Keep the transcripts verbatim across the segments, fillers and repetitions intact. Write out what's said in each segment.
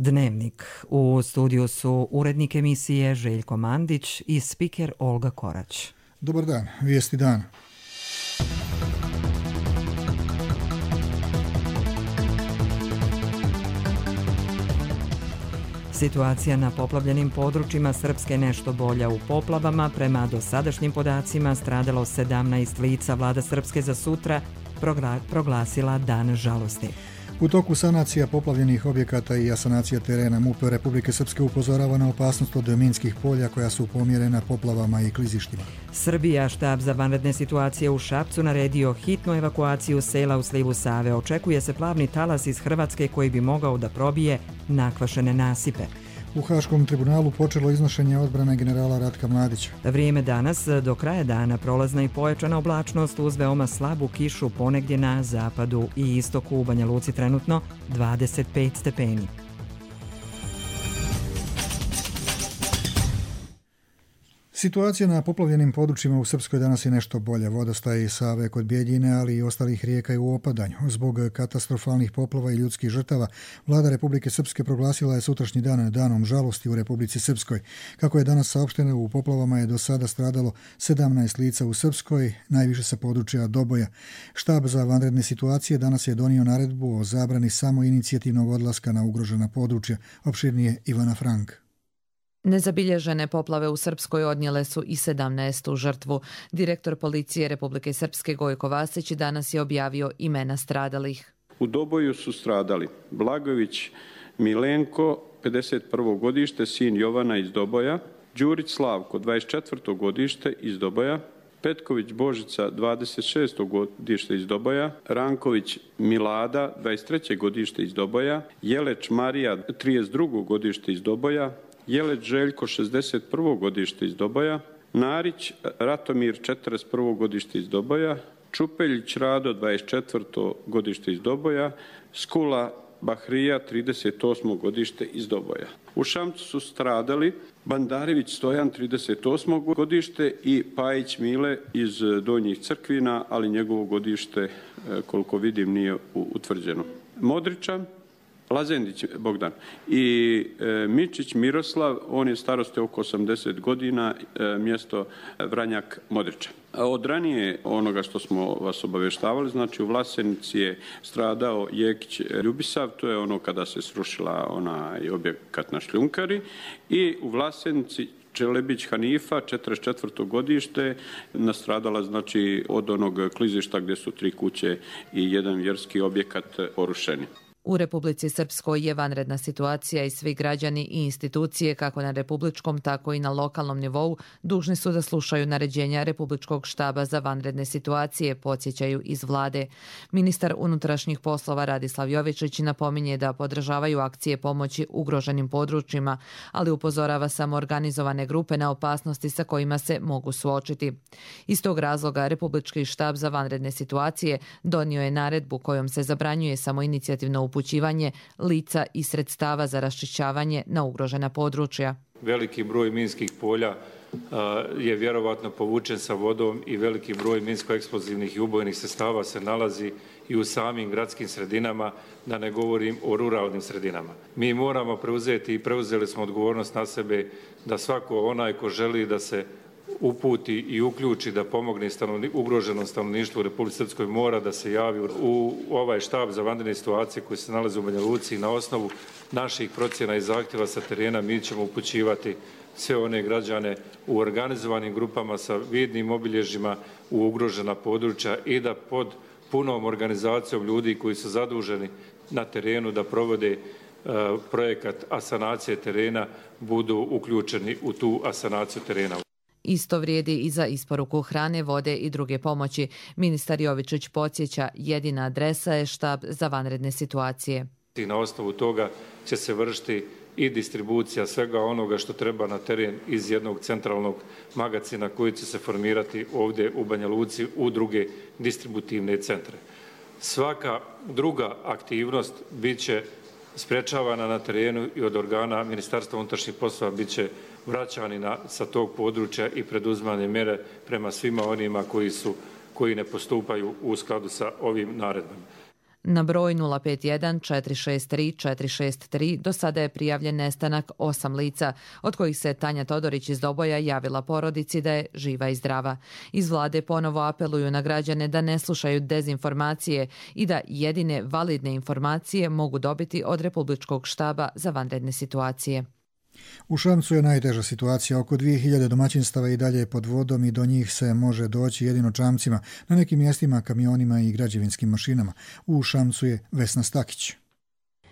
Dnevnik. U studiju su urednik emisije Željko Mandić i spiker Olga Korać. Dobar dan, vijesti dana. Situacija na poplavljenim područjima Srpske nešto bolja. U poplavama, prema dosadašnjim podacima, stradalo sedamnaest lica. Vlada Srpske za sutra proglasila dan žalosti. U toku sanacija poplavljenih objekata i asanacija terena M U P Republike Srpske upozorava na opasnost od minskih polja koja su pomjerena poplavama i klizištima. Srbija, štab za vanredne situacije u Šapcu, naredio hitnu evakuaciju sela u slivu Save. Očekuje se plavni talas iz Hrvatske koji bi mogao da probije nakvašene nasipe. U Haškom tribunalu počelo iznošenje odbrane generala Ratka Mladića. Vrijeme danas, do kraja dana prolazna i pojačana oblačnost uz veoma slabu kišu ponegdje na zapadu i istoku. U Banja Luci trenutno dvadeset pet stepeni. Situacija na poplavljenim područjima u Srpskoj danas je nešto bolja. Vodostaj Save kod Bjeljine, ali i ostalih rijeka je u opadanju. Zbog katastrofalnih poplava i ljudskih žrtava, Vlada Republike Srpske proglasila je sutrašnji dan danom žalosti u Republici Srpskoj. Kako je danas saopšteno, u poplavama je do sada stradalo sedamnaest lica u Srpskoj, najviše sa područja Doboja. Štab za vanredne situacije danas je donio naredbu o zabrani samoinicijativnog odlaska na ugrožena područja. Opširnije Ivana Frank. Nezabilježene poplave u Srpskoj odnijele su i sedamnaestu žrtvu. Direktor policije Republike Srpske Gojko Vasić danas je objavio imena stradalih. U Doboju su stradali Blagović Milenko, pedeset prvo godište, sin Jovana iz Doboja, Đurić Slavko, dvadeset četvrto godište iz Doboja, Petković Božica, dvadeset šesto godište iz Doboja, Ranković Milada, dvadeset treće godište iz Doboja, Jeleć Marija, trideset drugo godište iz Doboja, Jeleć Željko, šezdeset prvo godište iz Doboja, Narić Ratomir, četrdeset prvo godište iz Doboja, Čupeljić Rado, dvadeset četvrto godište iz Doboja, Skula Bahrija, trideset osmo godište iz Doboja. U Šamcu su stradali Bandarević Stojan, trideset osmo godište i Pajić Mile iz Donjih Crkvina, ali njegovo godište, koliko vidim, nije utvrđeno. Modričan Lazendić Bogdan i e, Mičić Miroslav, on je starosti oko osamdeset godina, e, mjesto Vranjak Modriča. Od ranije onoga što smo vas obavještavali, znači u Vlasenici je stradao Jekić Ljubisav, to je ono kada se srušila onaj objekat na šljunkari, i u Vlasenici Čelebić Hanifa, četrdeset četvrto godište, nastradala znači od onog klizišta gdje su tri kuće i jedan vjerski objekat porušeni. U Republici Srpskoj je vanredna situacija i svi građani i institucije, kako na republičkom, tako i na lokalnom nivou, dužni su da slušaju naređenja Republičkog štaba za vanredne situacije, podsjećaju iz vlade. Ministar unutrašnjih poslova Radislav Jovičić napominje da podržavaju akcije pomoći ugroženim područjima, ali upozorava samo organizovane grupe na opasnosti sa kojima se mogu suočiti. Iz tog razloga Republički štab za vanredne situacije donio je naredbu kojom se zabranjuje samoinicijativno upućivanje lica i sredstava za raščišćavanje na ugrožena područja. Veliki broj minskih polja je vjerovatno povučen sa vodom i veliki broj minsko-eksplozivnih i ubojnih sredstava se nalazi i u samim gradskim sredinama, da ne govorim o ruralnim sredinama. Mi moramo preuzeti i preuzeli smo odgovornost na sebe da svako onaj ko želi da se uputi i uključi da pomogne stanovni, ugroženom stanovništvu u Republici Srpskoj mora da se javi u ovaj štab za vanredne situacije koji se nalazi u Banja Luci i na osnovu naših procjena i zahtjeva sa terena mi ćemo upućivati sve one građane u organizovanim grupama sa vidnim obilježjima u ugrožena područja i da pod punom organizacijom ljudi koji su zaduženi na terenu da provode uh, projekat asanacije terena budu uključeni u tu asanaciju terena. Isto vrijedi i za isporuku hrane, vode i druge pomoći. Ministar Jovičić podsjeća, jedina adresa je štab za vanredne situacije. I na osnovu toga će se vršiti i distribucija svega onoga što treba na teren iz jednog centralnog magacina koji će se formirati ovdje u Banja Luci u druge distributivne centre. Svaka druga aktivnost bit će sprečavana na terenu i od organa Ministarstva unutrašnjih poslova bit će vraćani na, sa tog područja i preduzmane mjere prema svima onima koji su koji ne postupaju u skladu sa ovim naredbama. Na broj nula pet jedan četiri šest tri četiri šest tri do sada je prijavljen nestanak osam lica, od kojih se Tanja Todorić iz Doboja javila porodici da je živa i zdrava. Iz vlade ponovo apeluju na građane da ne slušaju dezinformacije i da jedine validne informacije mogu dobiti od Republičkog štaba za vanredne situacije. U Šamcu je najteža situacija. Oko dvije hiljade domaćinstava i dalje je pod vodom i do njih se može doći jedino čamcima, na nekim mjestima kamionima i građevinskim mašinama. U Šamcu je Vesna Stakić.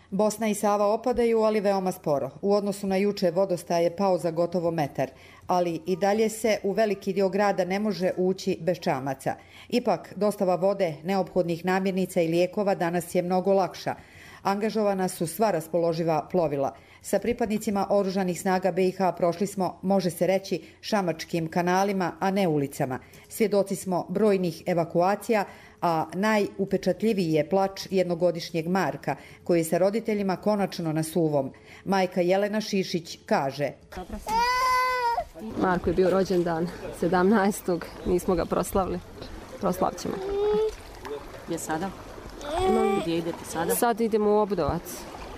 Bosna i Sava opadaju, ali veoma sporo. U odnosu na juče vodostaj je pao za gotovo metar, ali i dalje se u veliki dio grada ne može ući bez čamaca. Ipak, dostava vode, neophodnih namirnica i lijekova danas je mnogo lakša. Angažovana su sva raspoloživa plovila. Sa pripadnicima oružanih snaga B i H prošli smo, može se reći, šamačkim kanalima, a ne ulicama. Svjedoci smo brojnih evakuacija, a najupečatljiviji je plač jednogodišnjeg Marka, koji je sa roditeljima konačno na suvom. Majka Jelena Šišić kaže: Marko je bio rođendan sedamnaestog nismo ga proslavili. Proslavit ćemo. Gdje sada? Gdje idete sada? Sad idemo u Obudovac,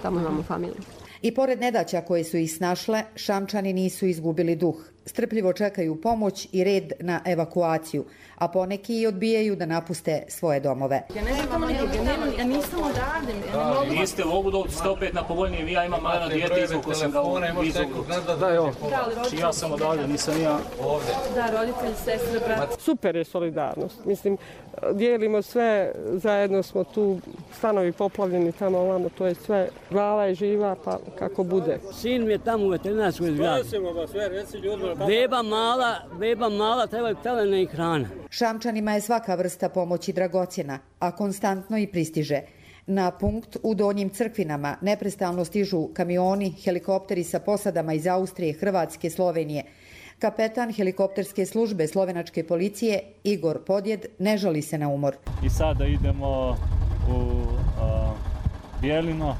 tamo imamo familiju. I pored nedaća koje su ih snašle, Šamčani nisu izgubili duh. Strpljivo čekaju pomoć i red na evakuaciju, a poneki i odbijaju da napuste svoje domove. Ja ne znam nikoga, ja nisam odavde. Vi ste u Obudovcu, ste opet na povoljnije, vi ja imam maleno dijete, izvuko sam ga u izvuku. Da, evo, ja sam odavde, nisam ja ovdje. Da, roditelji, sestre, brat. Super je solidarnost, mislim, dijelimo sve, zajedno smo tu, stanovi poplavljeni tamo, ovamo, to je sve, glava je živa, pa kako bude. Sin mi je tamo u veterinarskoj zgradi. Beba mala, beba mala, treba pelena i hrana. Šamčanima je svaka vrsta pomoći dragocjena, a konstantno i pristiže. Na punkt u Donjim Crkvinama neprestalno stižu kamioni, helikopteri sa posadama iz Austrije, Hrvatske, Slovenije. Kapetan helikopterske službe slovenačke policije Igor Podjed ne žali se na umor. I sada idemo u a, Bjelino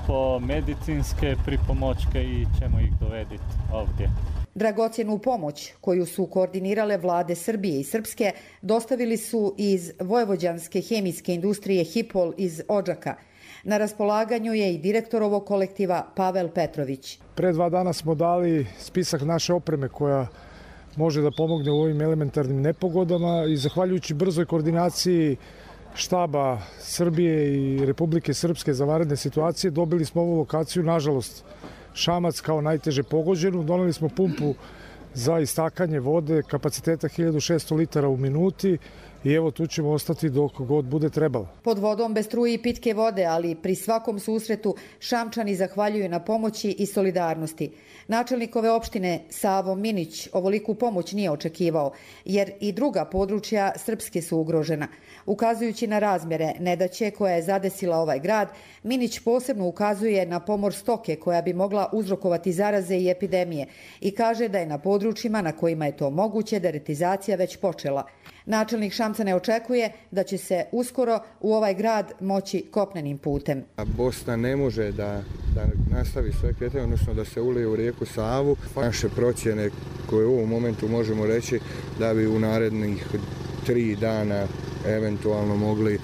po medicinske pripomoćke i ćemo ih dovediti ovdje. Dragocjenu pomoć koju su koordinirale vlade Srbije i Srpske dostavili su iz vojvođanske hemijske industrije Hipol iz Odžaka. Na raspolaganju je i direktor ovog kolektiva Pavel Petrović. Pre dva dana smo dali spisak naše opreme koja može da pomogne u ovim elementarnim nepogodama i zahvaljujući brzoj koordinaciji štaba Srbije i Republike Srpske za vanredne situacije dobili smo ovu lokaciju, nažalost, Šamac kao najteže pogođenu. Doneli smo pumpu za istakanje vode kapaciteta hiljadu šesto litara u minuti i evo tu ćemo ostati dok god bude trebalo. Pod vodom bez struje i pitke vode, ali pri svakom susretu Šamčani zahvaljuju na pomoći i solidarnosti. Načelnik ove opštine Savo Minić ovoliku pomoć nije očekivao, jer i druga područja Srpske su ugrožena. Ukazujući na razmjere nedaće koja je zadesila ovaj grad, Minić posebno ukazuje na pomor stoke koja bi mogla uzrokovati zaraze i epidemije i kaže da je na područjima na kojima je to moguće deretizacija već počela. Načelnik Šamca ne očekuje da će se uskoro u ovaj grad moći kopnenim putem. Bosna ne može da, da nastavi svoje kretanje, odnosno da se ulije u rijeku Savu. Naše procjene koje u ovom momentu možemo reći da bi u narednih tri dana eventualno mogli e,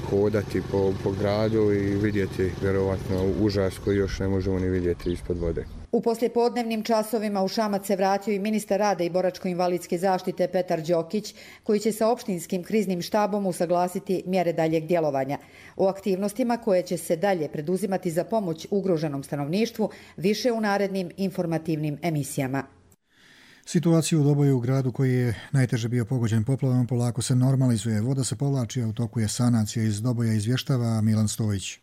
hodati po, po gradu i vidjeti vjerovatno užas koji još ne možemo ni vidjeti ispod vode. U poslijepodnevnim časovima u Šamac se vratio i ministar rada i boračko-invalidske zaštite Petar Đokić, koji će sa opštinskim kriznim štabom usaglasiti mjere daljeg djelovanja. O aktivnostima koje će se dalje preduzimati za pomoć ugroženom stanovništvu više u narednim informativnim emisijama. Situaciju u Doboju, u gradu koji je najteže bio pogođen poplavama, polako se normalizuje. Voda se povlači, a u toku je sanacija. Iz Doboja izvještava Milan Stojić.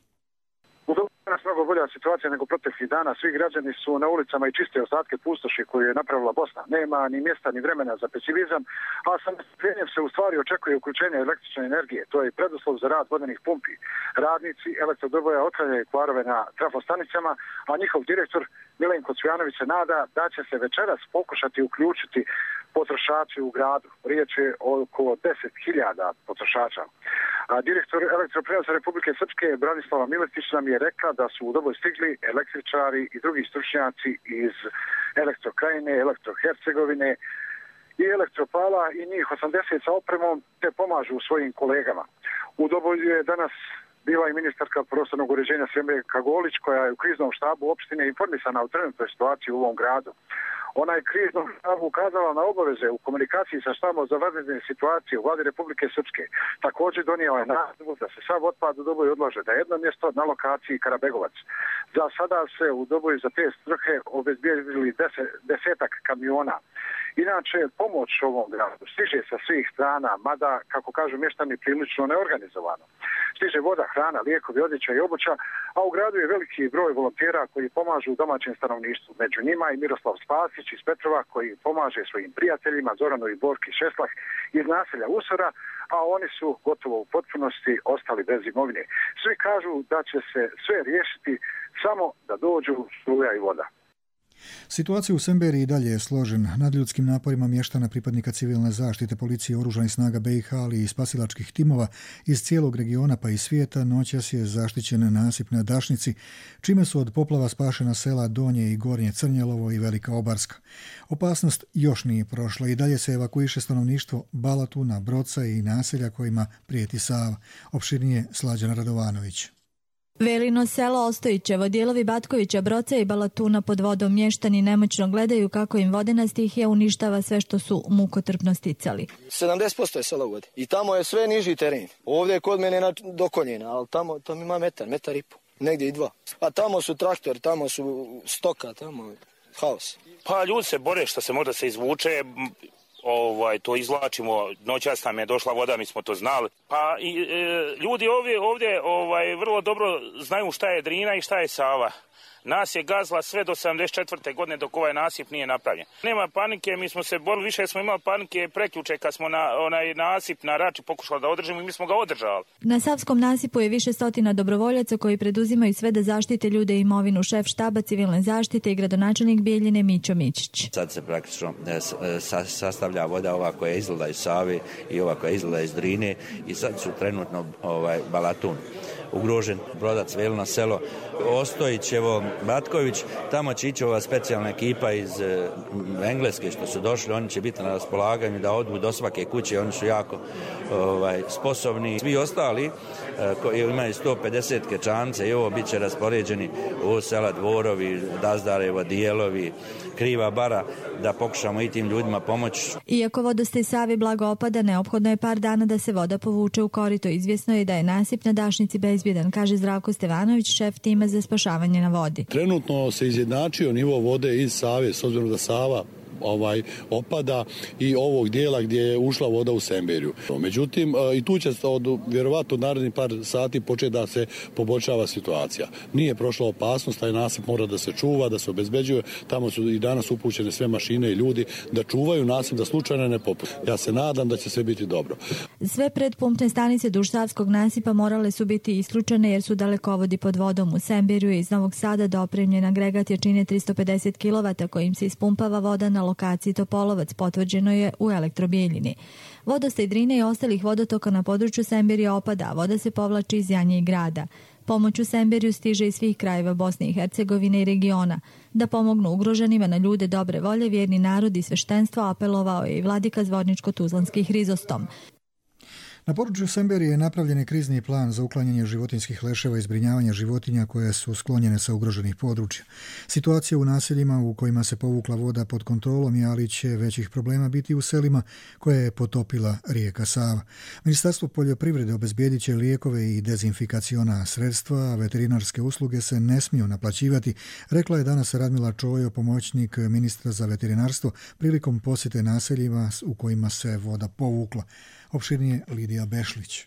Danas mnogo bolja situacija nego proteklih dana. Svi građani su na ulicama i čiste ostatke pustoši koju je napravila Bosna. Nema ni mjesta ni vremena za pesimizam, a sa nestrpljenjem se u stvari očekuje uključenje električne energije. To je preduslov za rad vodenih pumpi. Radnici Elektrodoboja otklanjaju kvarove na trafostanicama, a njihov direktor Milenko Cvijanović se nada da će se večeras pokušati uključiti potrošači u gradu. Riječ je o oko deset hiljada potrošača. A direktor Elektroprenosa Republike Srpske Branislava Miletić nam je rekla da su u Doboj stigli električari i drugi stručnjaci iz Elektrokrajine, Elektrohercegovine i elektropala i njih osamdeset sa opremom te pomažu svojim kolegama. U Doboju je danas bila i ministarka prostornog uređenja Semberka Golić, koja je u kriznom štabu opštine informisana o trenutnoj situaciji u ovom gradu. Ona je kriznom štabu ukazala na obaveze u komunikaciji sa štabom za vanredne situacije u vladi Republike Srpske. Također donijela je naredbu da se sav otpad u Doboju odlaže na jedno mjesto na lokaciji Karabegovac. Za sada se u Doboju za te svrhe obezbijedili deset, desetak kamiona. Inače, pomoć ovom gradu stiže sa svih strana, mada, kako kažu mještani, prilično neorganizovano. Stiže voda, hrana, lijekovi, odjeća i obuća, a u gradu je veliki broj volontera koji pomažu domaćem stanovništvu. Među njima i Miroslav Spasić iz Petrova koji pomaže svojim prijateljima Zoranu i Borki Šeslah iz naselja Usora, a oni su gotovo u potpunosti ostali bez imovine. Svi kažu da će se sve riješiti samo da dođu struja i voda. Situacija u Semberiji i dalje je složena. Nad ljudskim naporima mještana, pripadnika civilne zaštite, policije, oružanih snaga B i H, ali i spasilačkih timova iz cijelog regiona pa i svijeta, noćas je zaštićen nasip na Dašnici, čime su od poplava spašena sela Donje i Gornje Crnjelovo i Velika Obarska. Opasnost još nije prošla i dalje se evakuiše stanovništvo Balatuna, Broca i naselja kojima prijeti Sava. Opširnije Slađana Radovanović. Velino selo Ostojićevo, dijelovi Batkovića, Broca i Balatuna pod vodom, mještani nemoćno gledaju kako im vodena stihija uništava sve što su mukotrpno sticali. sedamdeset posto je selo u vodi i tamo je sve niži teren. Ovdje je kod mene do koljena, ali tamo, tamo ima metar, metar i po, negdje i dva. A tamo su traktor, tamo su stoka, tamo je haos. Pa ljudi se bore što se možda se izvuče. Ovaj, to izvlačimo, noćas nam je došla voda, mi smo to znali. Pa i, e, ljudi ovdje, ovdje ovaj, vrlo dobro znaju šta je Drina i šta je Sava. Nas je gazla sve do sedamdeset četvrte godine dok ovaj nasip nije napravljen. Nema panike, mi smo se borili, više smo imali panike prekjuče kad smo na onaj nasip na Rači pokušali da održimo i mi smo ga održali. Na Savskom nasipu je više stotina dobrovoljaca koji preduzimaju sve da zaštite ljude i imovinu. Šef štaba civilne zaštite i gradonačelnik Bijeljine Mićo Mićić. Sad se praktično sastavlja voda ova koja izgleda iz Save i ova koja izgleda iz Drine i sad su trenutno ovaj, Balatun ugrožen, Brodac, Velino selo, Ostojićevo, Batković, tamo će ići ova specijalna ekipa iz e, Engleske što su došli, oni će biti na raspolaganju da odu do svake kuće, oni su jako ovaj, sposobni. Svi ostali e, koji imaju sto pedeset kečance i ovo bit će raspoređeni u sela Dvorovi, Dazdarevo, Dijelovi, Kriva Bara, da pokušamo i tim ljudima pomoći. Iako vodostaj Save blago opada, neophodno je par dana da se voda povuče u korito. Izvjesno je da je nasip na Dašnici bezbjedan, kaže Zdravko Stevanović, šef tima za spašavanje na vodi. Trenutno se izjednačio nivo vode iz Save, s obzirom da Sava ovaj opada i ovog dijela gdje je ušla voda u Semberiju. Međutim, i tu će od vjerovatno narednih par sati početi da se poboljšava situacija. Nije prošla opasnost, taj nasip mora da se čuva, da se obezbeđuje. Tamo su i danas upućene sve mašine i ljudi da čuvaju nasip, da slučajno ne popusti. Ja se nadam da će sve biti dobro. Sve predpumpne stanice duž Savskog nasipa morale su biti isključene jer su dalekovodi pod vodom. U Semberiju iz Novog Sada dopremljen agregat jačine tristo pedeset kilovata kojim se ispumpava voda na lokaciji Topolovac, potvrđeno je u Elektrobijeljini. Vodostaj Drine i ostalih vodotoka na području Semberija opada, a voda se povlači iz Janje i grada. Pomoć u Semberiju stiže iz svih krajeva Bosne i Hercegovine i regiona. Da pomognu ugroženima na ljude dobre volje, vjerni narod i sveštenstvo apelovao je i vladika Zvorničko-Tuzlanski Hrizostom. Na području Semberije je napravljen krizni plan za uklanjanje životinjskih leševa i zbrinjavanje životinja koje su sklonjene sa ugroženih područja. Situacija u naseljima u kojima se povukla voda pod kontrolom je, ali će većih problema biti u selima koje je potopila rijeka Sava. Ministarstvo poljoprivrede obezbijedit će lijekove i dezinfikaciona sredstva, a veterinarske usluge se ne smiju naplaćivati, rekla je danas Radmila Čojo, pomoćnik ministra za veterinarstvo, prilikom posjete naseljima u kojima se voda povukla. Opširnije Lidija Bešlić.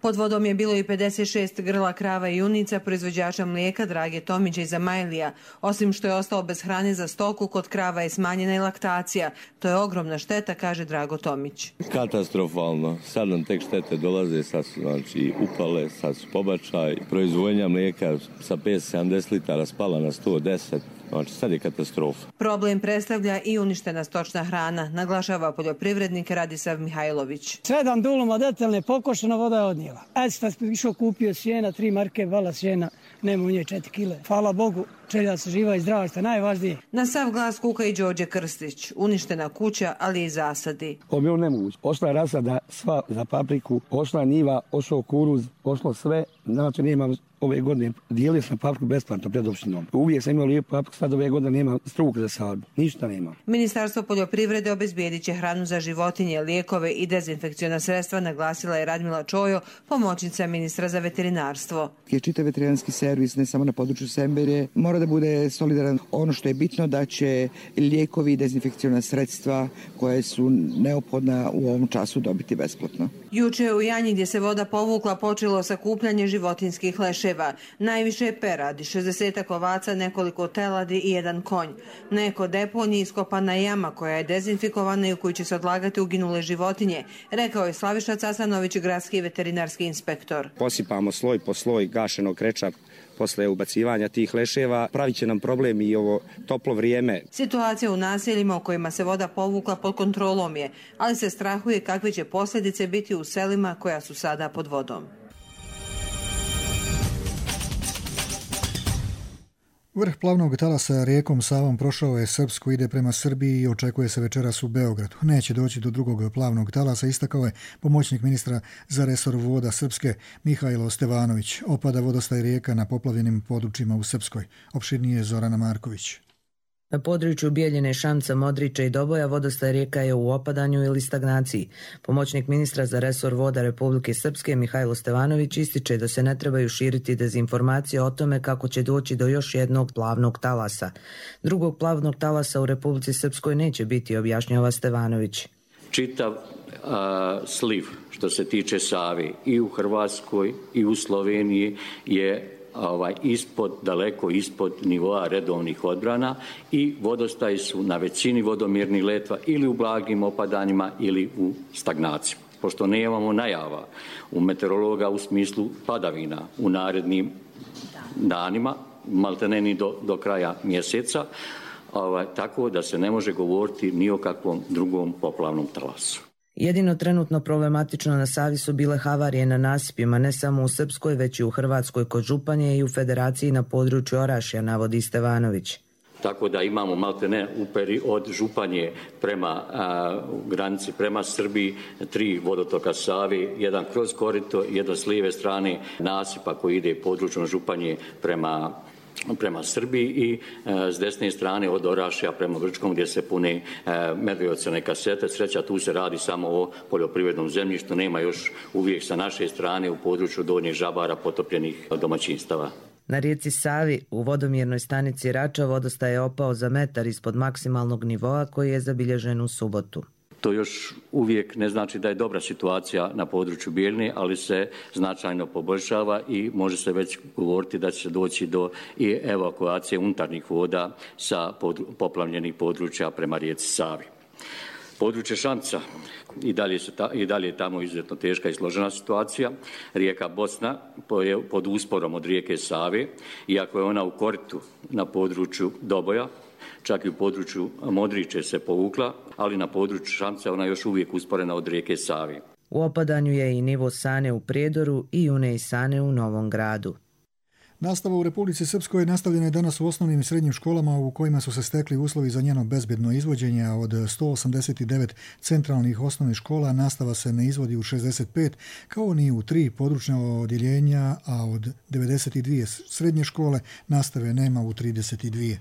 Pod vodom je bilo i pedeset šest grla krava i junica proizvođača mlijeka Drage Tomića iz Amajlija. Osim što je ostao bez hrane za stoku, kod krava je smanjena i laktacija. To je ogromna šteta, kaže Drago Tomić. Katastrofalno. Sad nam tek štete dolaze, sad su znači, upale, sad su pobačaj. Proizvodnja mlijeka sa petsto sedamdeset litara spala na sto deset. Znači, sad je katastrofa. Problem predstavlja i uništena stočna hrana, naglašava poljoprivrednik Radisav Mihajlović. Sedam duluma detaljne pokošena, voda je odnijela. Aj sad išao kupio sjena, tri marke vala sjena, nema u nje četiri kile. Hvala Bogu, želja se živa i zdrava, što je najvažnije. Na sav glas kuka i Đorđe Krstić. Uništena kuća, ali i zasadi. Ovo je bilo nemoguće. Ošla je rasada sva za papriku, ošla je njiva, ošao kuruz, ošlo sve. Znači nema ove godine, dijelio sam papriku besplatno pred opštinom. Uvijek sam imao lijepu papriku, sad ove godine nema struka za sadbu. Ništa nema. Ministarstvo poljoprivrede obezbijedit će hranu za životinje, lijekove i dezinfekciona sredstva, naglasila je Radmila Čojo, pomoćnica ministra za veterinarstvo. Čitav veterinarski servis, ne samo na području Semberije, mora da bude solidaran. Ono što je bitno da će lijekovi i dezinfekciona sredstva koje su neophodna u ovom času dobiti besplatno. Juče u Janji, gdje se voda povukla, počelo sakupljanje životinskih leševa. Najviše je peradi, šezdesetak ovaca, nekoliko teladi i jedan konj. Neko deponji iskopana jama koja je dezinfikovana i u kojoj će se odlagati uginule životinje, rekao je Slaviša Casanović, gradski veterinarski inspektor. Posipamo sloj po sloj gašenog kreča posle ubacivanja tih leševa. Pravit će nam problem i ovo toplo vrijeme. Situacija u naseljima u kojima se voda povukla pod kontrolom je, ali se strahuje kakve će posljedice biti u selima koja su sada pod vodom. Vrh plavnog talasa rijekom Savom prošao je Srpsku, ide prema Srbiji i očekuje se večeras u Beogradu. Neće doći do drugog plavnog talasa, istakao je pomoćnik ministra za resor voda Srpske Mihajlo Stevanović. Opada vodostaj rijeka na poplavljenim područjima u Srpskoj. Opširnije Zorana Marković. Na području Bijeljine, Šamca, Modrića i Doboja vodostaj rijeka je u opadanju ili stagnaciji. Pomoćnik ministra za resor voda Republike Srpske Mihajlo Stevanović ističe da se ne trebaju širiti dezinformacije o tome kako će doći do još jednog plavnog talasa. Drugog plavnog talasa u Republici Srpskoj neće biti, objašnjava Stevanović. Čitav a, sliv što se tiče Save i u Hrvatskoj i u Sloveniji je Ovaj, ispod, daleko ispod nivoa redovnih odbrana i vodostaji su na većini vodomjernih letva ili u blagim opadanjima ili u stagnaciji. Pošto nemamo najava u meteorologa u smislu padavina u narednim danima, maltene ni do, do kraja mjeseca, ovaj, tako da se ne može govoriti ni o kakvom drugom poplavnom talasu. Jedino trenutno problematično na Savi su bile havarije na nasipima, ne samo u Srpskoj, već i u Hrvatskoj kod Županje i u Federaciji na području Orašja, navodi Stevanović. Tako da imamo maltene uperi od Županje prema a, granici, prema Srbiji, tri vodotoka Save, jedan kroz korito, jedan s lijeve strane nasipa koji ide područnom Županje prema prema Srbiji i e, s desne strane od Orašja prema Grčkom gdje se pune e, medijocene kasete. Sreća, tu se radi samo o poljoprivrednom zemljištu, nema još uvijek sa naše strane u području Donjih Žabara potopljenih domaćinstava. Na rijeci Savi u vodomjernoj stanici Rača vodostaj je opao za metar ispod maksimalnog nivoa koji je zabilježen u subotu. To još uvijek ne znači da je dobra situacija na području Bijeljine, ali se značajno poboljšava i može se već govoriti da će doći do i evakuacije unutarnjih voda sa poplavljenih područja prema rijeci Savi. Područje Šamca i dalje, su ta, i dalje je tamo izuzetno teška i složena situacija. Rijeka Bosna je pod usporom od rijeke Save, iako je ona u koritu na području Doboja, čak i u području Modriće se povukla, ali na području Šamca ona još uvijek usporena od rijeke Save. U opadanju je i nivo Sane u Prijedoru i Une i Sane u Novom Gradu. Nastava u Republici Srpskoj nastavljena je danas u osnovnim i srednjim školama u kojima su se stekli uslovi za njeno bezbedno izvođenje, a od sto osamdeset devet centralnih osnovnih škola nastava se ne izvodi u šezdeset pet, kao ni u tri područna odjeljenja, a od devedeset dvije srednje škole nastave nema u trideset dvije.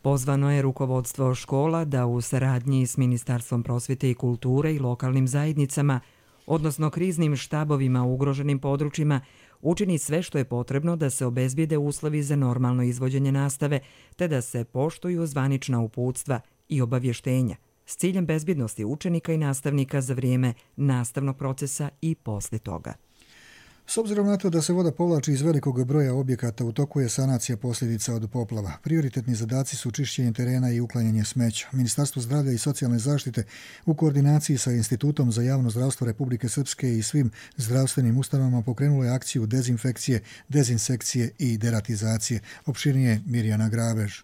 Pozvano je rukovodstvo škola da u saradnji s Ministarstvom prosvjete i kulture i lokalnim zajednicama, odnosno kriznim štabovima u ugroženim područjima, učini sve što je potrebno da se obezbijede uslovi za normalno izvođenje nastave, te da se poštuju zvanična uputstva i obavještenja s ciljem bezbjednosti učenika i nastavnika za vrijeme nastavnog procesa i poslije toga. S obzirom na to da se voda povlači iz velikog broja objekata, u toku je sanacija posljedica od poplava. Prioritetni zadaci su čišćenje terena i uklanjanje smeća. Ministarstvo zdravlja i socijalne zaštite u koordinaciji sa Institutom za javno zdravstvo Republike Srpske i svim zdravstvenim ustanovama pokrenulo je akciju dezinfekcije, dezinsekcije i deratizacije. Opširnije Mirjana Grabež.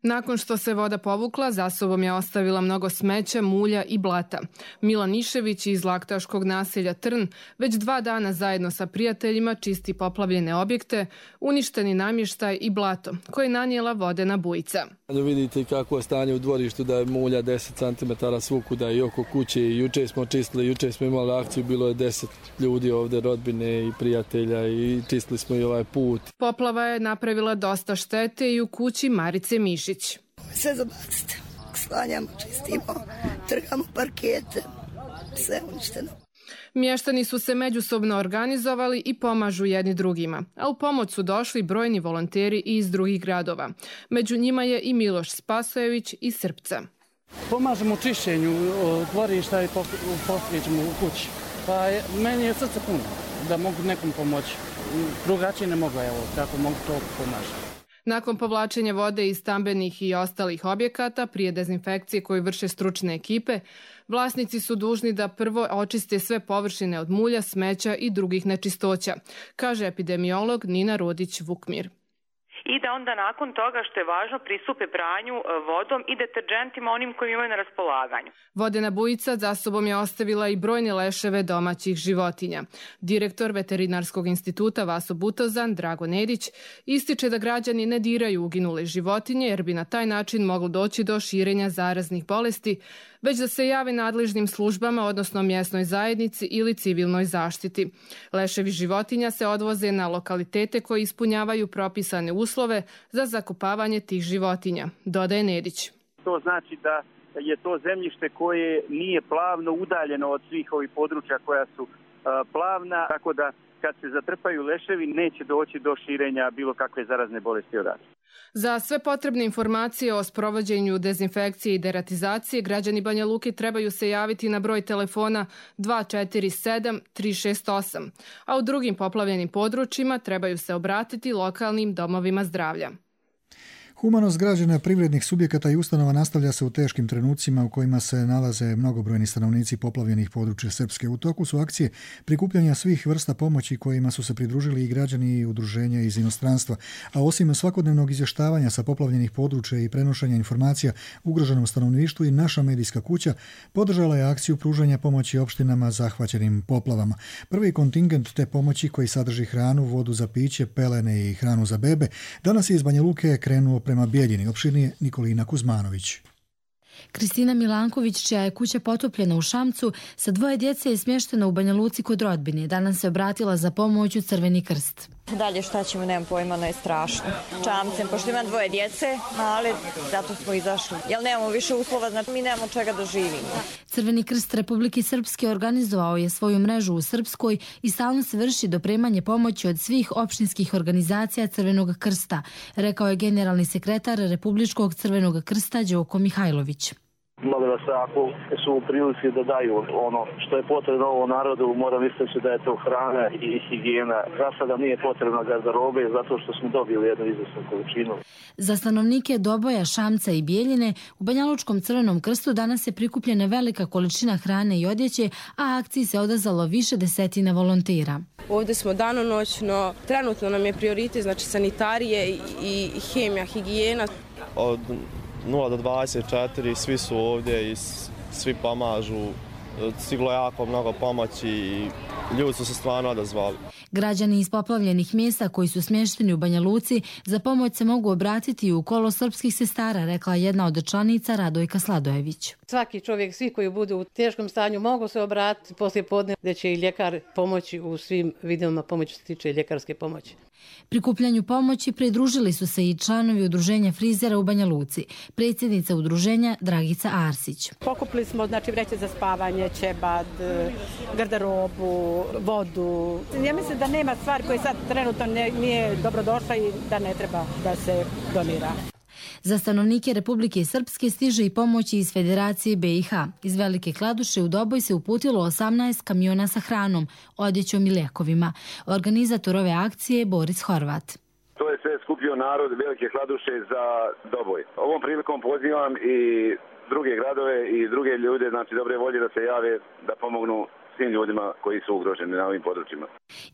Nakon što se voda povukla, za sobom je ostavila mnogo smeća, mulja i blata. Milan Išević iz laktaškog naselja Trn već dva dana zajedno sa prijateljima čisti poplavljene objekte, uništeni namještaj i blato koje je nanijela vodena bujica. Da vidite kako je stanje u dvorištu, da je mulja deset centimetara svukuda i oko kuće. I juče smo čistili, juče smo imali akciju, bilo je deset ljudi ovdje, rodbine i prijatelja, i čistili smo i ovaj put. Poplava je napravila dosta štete i u kući Marice Mišić. Sve zabacite, sklanjamo, čistimo, trgamo parkete, sve uništeno. Mještani su se međusobno organizovali i pomažu jedni drugima, a u pomoć su došli brojni volonteri i iz drugih gradova. Među njima je i Miloš Spasojević iz Srpca. Pomažemo u čišćenju dvorišta i posvećemo u kući. Pa je, meni je srce puno da mogu nekom pomoći. Drugačije ne mogu, evo, kako mogu to pomažiti. Nakon povlačenja vode iz stambenih i ostalih objekata, prije dezinfekcije koju vrše stručne ekipe, vlasnici su dužni da prvo očiste sve površine od mulja, smeća i drugih nečistoća, kaže epidemiolog Nina Rodić-Vukmir. I da onda nakon toga, što je važno, pristupe pranju vodom i deterđentima onim koji imaju na raspolaganju. Vodena bujica za sobom je ostavila i brojne leševe domaćih životinja. Direktor Veterinarskog instituta Vaso Butozan, Drago Nedić, ističe da građani ne diraju uginule životinje jer bi na taj način moglo doći do širenja zaraznih bolesti, već da se jave nadležnim službama, odnosno mjesnoj zajednici ili civilnoj zaštiti. Leševi životinja se odvoze na lokalitete koji ispunjavaju propisane uslove za zakopavanje tih životinja, dodaje Nedić. To znači da je to zemljište koje nije plavno udaljeno od svih ovih područja koja su plavna, tako da kad se zatrpaju leševi neće doći do širenja bilo kakve zarazne bolesti odatle. Za sve potrebne informacije o sprovođenju dezinfekcije i deratizacije građani Banja Luke trebaju se javiti na broj telefona dva četiri sedam tri šest osam, a u drugim poplavljenim područjima trebaju se obratiti lokalnim domovima zdravlja. Humanost građana, privrednih subjekata i ustanova nastavlja se u teškim trenucima u kojima se nalaze mnogobrojni stanovnici poplavljenih područja Srpske. U toku su akcije prikupljanja svih vrsta pomoći kojima su se pridružili i građani i udruženja iz inostranstva. A osim svakodnevnog izvještavanja sa poplavljenih područja i prenošenja informacija ugroženom stanovništvu, i naša medijska kuća podržala je akciju pružanja pomoći opštinama zahvaćenim poplavama. Prvi kontingent te pomoći, koji sadrži hranu, vodu za piće, pelene i hranu za bebe, danas je iz Banja Luke krenuo prema Bijeljini. Opširnije Nikolina Kuzmanović. Kristina Milanković, čija je kuća potopljena u Šamcu, sa dvoje djece je smještena u Banja Luci kod rodbine. Danas se obratila za pomoć u Crveni krst. Dalje šta ćemo, nemam pojma, no je strašno. Čamcem, pošto imam dvoje djece, ali zato smo izašli. Jer nemamo više uslova, znači mi nemamo čega da živimo. Crveni krst Republike Srpske organizovao je svoju mrežu u Srpskoj i stalno se vrši dopremanje pomoći od svih opštinskih organizacija Crvenog krsta, rekao je generalni sekretar Republičkog Crvenog krsta Đoko Mihajlović. Molim vas, ako su u prilici da daju ono što je potrebno ovom narodu, moram istaći da je to hrana i higijena. Za sada nije potrebna garderobe zato što smo dobili jednu izvrsnu količinu. Za stanovnike Doboja, Šamca i Bijeljine u Banjalučkom Crvenom krstu danas je prikupljena velika količina hrane i odjeće, a akciji se odazvalo više desetina volontera. Ovdje smo danonoćno, trenutno nam je prioritet, znači sanitarije i hemija, higijena. Od nula do dvadeset četiri svi su ovdje i svi pomažu. Stiglo jako mnogo pomoći i ljudi su se stvarno odazvali. Građani iz poplavljenih mjesta koji su smješteni u Banja Luci za pomoć se mogu obratiti u kolo srpskih sestara, rekla jedna od članica Radojka Sladojević. Svaki čovjek, svi koji budu u teškom stanju mogu se obratiti poslije podne, gdje će i ljekar pomoći u svim vidovima pomoći što se tiče ljekarske pomoći. Prikupljanju pomoći pridružili su se i članovi udruženja frizera u Banja Luci, predsjednica udruženja Dragica Arsić. Pokupili smo znači vreće za spavanje, ćebad, garderobu, vodu. Ja mislim da nema stvari koje sad trenutno nije dobrodošla i da ne treba da se donira. Za stanovnike Republike Srpske stiže i pomoći iz Federacije B i H. Iz Velike Kladuše u Doboj se uputilo osamnaest kamiona sa hranom, odjećom i lijekovima. Organizator ove akcije je Boris Horvat. To je sve skupio narod Velike Kladuše za Doboj. Ovom prilikom pozivam i druge gradove i druge ljude, znači dobre volje, da se jave, da pomognu svim ljudima koji su ugroženi na ovim područjima.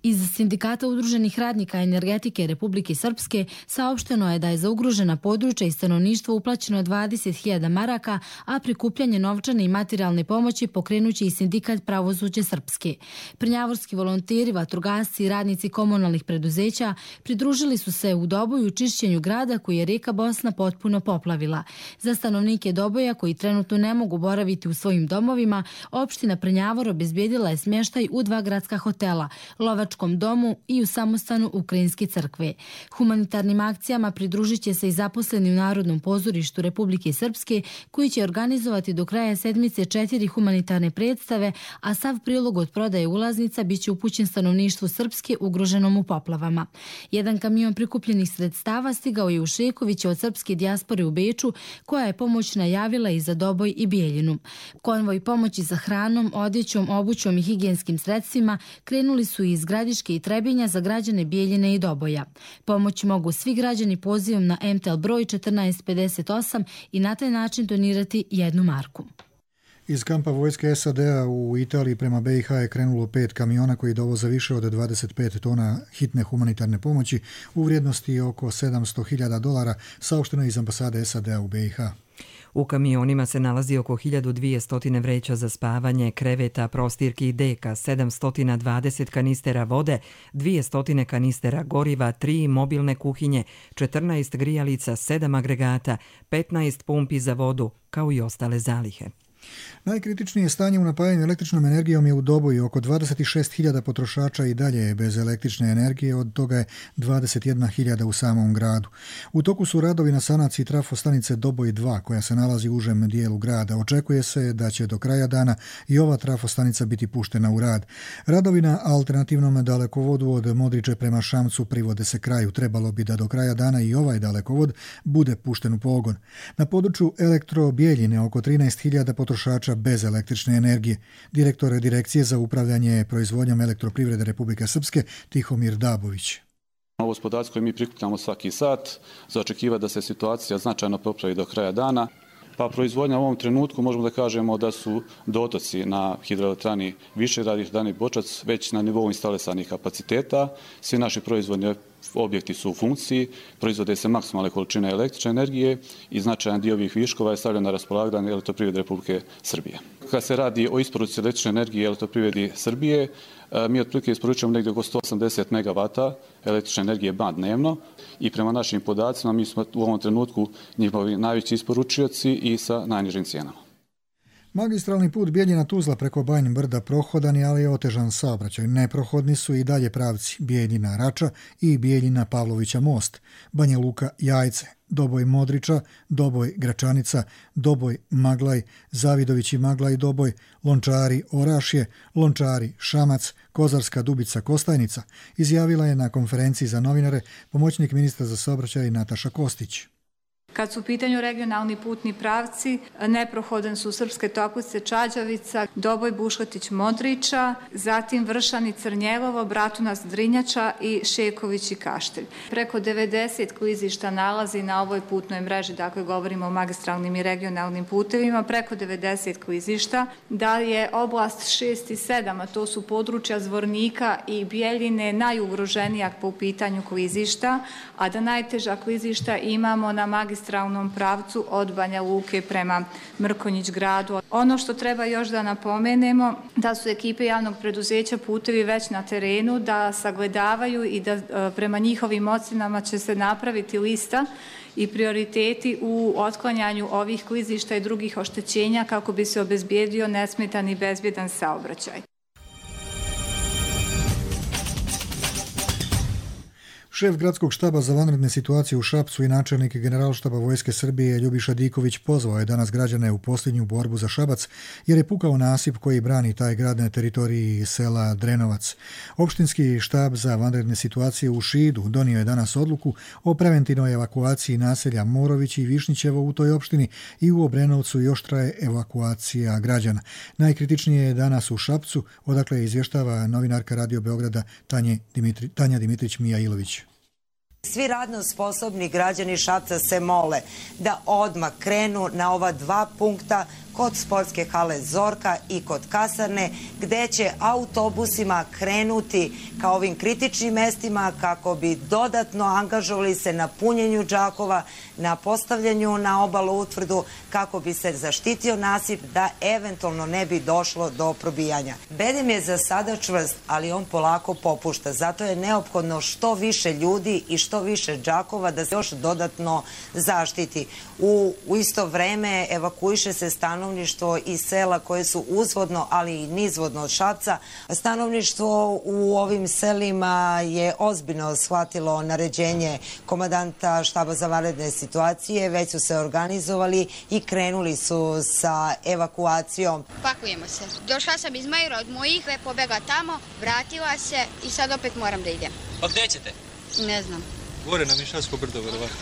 Iz Sindikata udruženih radnika energetike Republike Srpske saopšteno je da je za ugrožena područja i stanovništvo uplaćeno dvadeset hiljada maraka, a prikupljanje novčane i materijalne pomoći pokrenuće i Sindikat pravosuđa Srpske. Prnjavorski volonteri, vatrogasci i radnici komunalnih preduzeća pridružili su se u Doboju čišćenju grada koji je rijeka Bosna potpuno poplavila. Za stanovnike Doboja koji trenutno ne mogu boraviti u svojim domovima, opština Prnjavor obezbijedila je smještaj u dva gradska hotela, Lovačkom domu i u samostanu Ukrajinske crkve. Humanitarnim akcijama pridružit će se i zaposleni u Narodnom pozorištu Republike Srpske, koji će organizovati do kraja sedmice četiri humanitarne predstave, a sav prilog od prodaje ulaznica biće upućen stanovništvu Srpske ugroženom u poplavama. Jedan kamion prikupljenih sredstava stigao je u Šekoviće od srpske dijaspore u Beču, koja je pomoć najavila i za Doboj i Bijeljinu. Konvoj pomoći za hranom, odjećom, obućom i higijenskim sredstvima krenuli su iz Gradiške i Trebinja za građane Bijeljine i Doboja. Pomoć mogu svi građani pozivom na M T L broj četrnaest pedeset osam i na taj način donirati jednu marku. Iz kampa vojske S A D-a u Italiji prema B i H je krenulo pet kamiona koji dovoze više od dvadeset pet tona hitne humanitarne pomoći u vrijednosti oko sedamsto hiljada dolara, saopšteno iz ambasade S A D-a u B i H. U kamionima se nalazi oko hiljadu dvjesto vreća za spavanje, kreveta, prostirki i deka, sedamsto dvadeset kanistera vode, dvjesto kanistera goriva, tri mobilne kuhinje, četrnaest grijalica, sedam agregata, petnaest pumpi za vodu, kao i ostale zalihe. Najkritičnije stanje u napajanju električnom energijom je u Doboju. Oko dvadeset šest hiljada potrošača i dalje je bez električne energije, od toga je dvadeset jedna hiljada u samom gradu. U toku su radovi na sanaciji trafostanice Doboj dva, koja se nalazi u užem dijelu grada. Očekuje se da će do kraja dana i ova trafostanica biti puštena u rad. Radovi na alternativnom dalekovodu od Modriče prema Šamcu privode se kraju. Trebalo bi da do kraja dana i ovaj dalekovod bude pušten u pogon. Na području Elektro Bijeljine oko trinaest hiljada potrošača bez električne energije. Direktor Direkcije za upravljanje proizvodnjom elektroprivrede Republike Srpske Tihomir Dabović. Ovo su podaci koje mi prikupljamo svaki sat, za očekivati da se situacija značajno popravi do kraja dana. Pa proizvodnja u ovom trenutku možemo da kažemo da su dotoci na hidroelektrani Višegrad i hidroelektrani Bočac već na nivou instalisanih kapaciteta. Svi naši proizvodni objekti su u funkciji, proizvode se maksimalne količine električne energije i značajan dio ovih viškova je stavljen na raspolaganje Elektroprivrede Republike Srbije. Kad se radi o isporuci električne energije Elektroprivredi Srbije, mi otprilike isporučujemo negdje oko sto osamdeset megavata električne energije ban dnevno i prema našim podacima mi smo u ovom trenutku njihovi najveći isporučioci i sa najnižim cijenama. Magistralni put Bijeljina-Tuzla preko Bajin Brda prohodan je, ali je otežan saobraćaj. Neprohodni su i dalje pravci Bijeljina-Rača i Bijeljina-Pavlovića most, Banja Luka-Jajce, Doboj-Modriča, Doboj-Gračanica, Doboj-Maglaj, Zavidović i Maglaj Doboj, Lončari-Orašje, Lončari-Šamac, Kozarska Dubica-Kostajnica, izjavila je na konferenciji za novinare pomoćnik ministra za saobraćaj Nataša Kostić. Kad su u pitanju regionalni putni pravci, neprohodan su Srpske Toplice, Čađavica, Doboj, Buškotić, Modriča, zatim Vršani, Crnjevovo, Bratunac, Drinjača i Šeković i Kaštelj. Preko devedeset klizišta nalazi na ovoj putnoj mreži, dakle govorimo o magistralnim i regionalnim putevima, preko devedeset klizišta. Da je oblast šest i sedam, a to su područja Zvornika i Bijeljine, najugroženija po pitanju klizišta, a da najteža klizišta imamo na magistralnim magistralnom pravcu od Banja Luke prema Mrkonjić gradu. Ono što treba još da napomenemo, da su ekipe javnog preduzeća Putevi već na terenu, da sagledavaju i da prema njihovim ocenama će se napraviti lista i prioriteti u otklanjanju ovih klizišta i drugih oštećenja kako bi se obezbijedio nesmetan i bezbjedan saobraćaj. Šef gradskog štaba za vanredne situacije u Šapcu i načelnik generalštaba Vojske Srbije Ljubiša Diković pozvao je danas građane u posljednju borbu za Šabac jer je pukao nasip koji brani taj grad na teritoriji sela Drenovac. Opštinski štab za vanredne situacije u Šidu donio je danas odluku o preventivnoj evakuaciji naselja Morović i Višnjićevo u toj opštini i u Obrenovcu još traje evakuacija građana. Najkritičnije je danas u Šapcu, odakle izvještava novinarka Radio Beograda Tanja Dimitri, Tanja Dimitrić-Mijailović. Svi radno sposobni građani Šapca se mole da odmah krenu na ova dva punkta kod sportske hale Zorka i kod kasarne, gde će autobusima krenuti ka ovim kritičnim mestima kako bi dodatno angažovali se na punjenju džakova, na postavljanju na obalu utvrdu, kako bi se zaštitio nasip da eventualno ne bi došlo do probijanja. Bedem je za sada čvrst, ali on polako popušta. Zato je neophodno što više ljudi i što više džakova da se još dodatno zaštiti. U, u isto vreme evakuiše se stanovništvo iz sela koje su uzvodno, ali i nizvodno od Šapca. Stanovništvo u ovim selima je ozbiljno shvatilo naređenje komandanta štaba za vanredne situacije, već su se organizovali i krenuli su sa evakuacijom. Pakujemo se. Došla sam iz Majura od mojih, pobegla tamo, vratila se i sad opet moram da idem. Pa gde ćete? Ne znam. Gore na Mišarsko brdo, verovatno.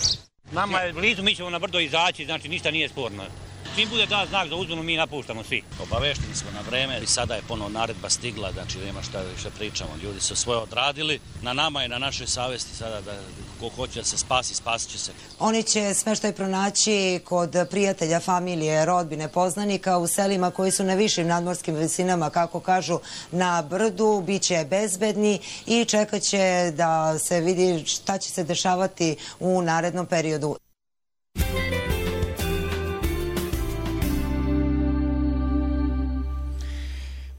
Nama je blizu, mi ćemo na brdo izaći, znači ništa nije sporno. Čim bude dan znak za uzbunu, mi napuštamo svi. Obavešteni smo na vreme i sada je ponovo naredba stigla, znači nema šta više pričamo. Ljudi su svoje odradili, na nama i na našoj savesti sada da ko hoće da se spasi, spasit će se. Oni će smeštaj pronaći kod prijatelja, familije, rodbine, poznanika u selima koji su na višim nadmorskim visinama, kako kažu, na brdu, bit će bezbedni i čekat će da se vidi šta će se dešavati u narednom periodu.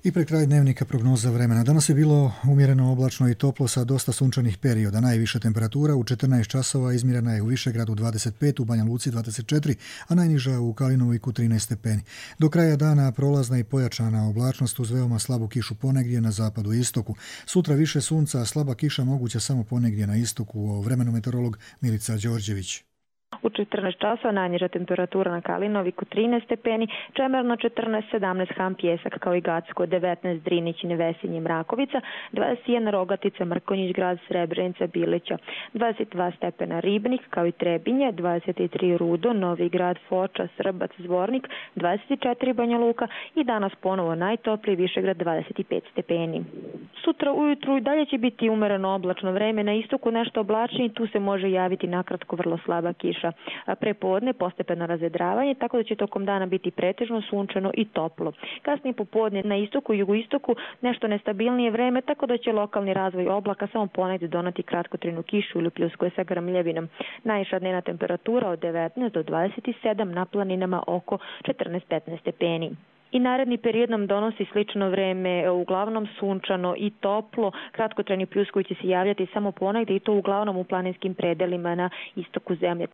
I pred kraj dnevnika prognoza vremena. Danas je bilo umjereno oblačno i toplo sa dosta sunčanih perioda. Najviša temperatura u četrnaest časova izmjerena je u Višegradu dvadeset pet, u Banja Luci dvadeset četiri, a najniža u Kalinoviku trinaest stepeni. Do kraja dana prolazna i pojačana oblačnost uz veoma slabu kišu ponegdje na zapadu i istoku. Sutra više sunca, a slaba kiša moguća samo ponegdje na istoku. O vremenu meteorolog Milica Đorđević. U četrnaest časova najniža temperatura na Kalinoviku trinaest stepeni, Čemerno četrnaest, sedamnaest Ham Pjesak kao i Gacko, devetnaest Drinić, Nevesinje, Mrakovica, dvadeset jedan Rogatica, Mrkonjić grad, Srebrenica, Bilića, dvadeset dva stepena Ribnik kao i Trebinje, dvadeset tri Rudo, Novi grad, Foča, Srbac, Zvornik, dvadeset četiri Banja Luka i danas ponovo najtopliji Višegrad dvadeset pet stepeni. Sutra ujutru i dalje će biti umereno oblačno vreme, na istoku nešto oblačnije, tu se može javiti nakratko vrlo slaba kiša. Prepodne postepeno razvedravanje, tako da će tokom dana biti pretežno sunčano i toplo. Kasnije popodne na istoku i jugoistoku nešto nestabilnije vreme, tako da će lokalni razvoj oblaka samo ponegdje donati kratkotrajnu kišu ili pljuskuje sa grmljevinom. Najviša dnevna temperatura od devetnaest do dvadeset sedam, na planinama oko četrnaest petnaest stepeni. I naredni period nam donosi slično vreme, uglavnom sunčano i toplo, kratkotrajni pljuskovi će se javljati samo ponegdje i to uglavnom u planinskim predelima na istoku zemlje.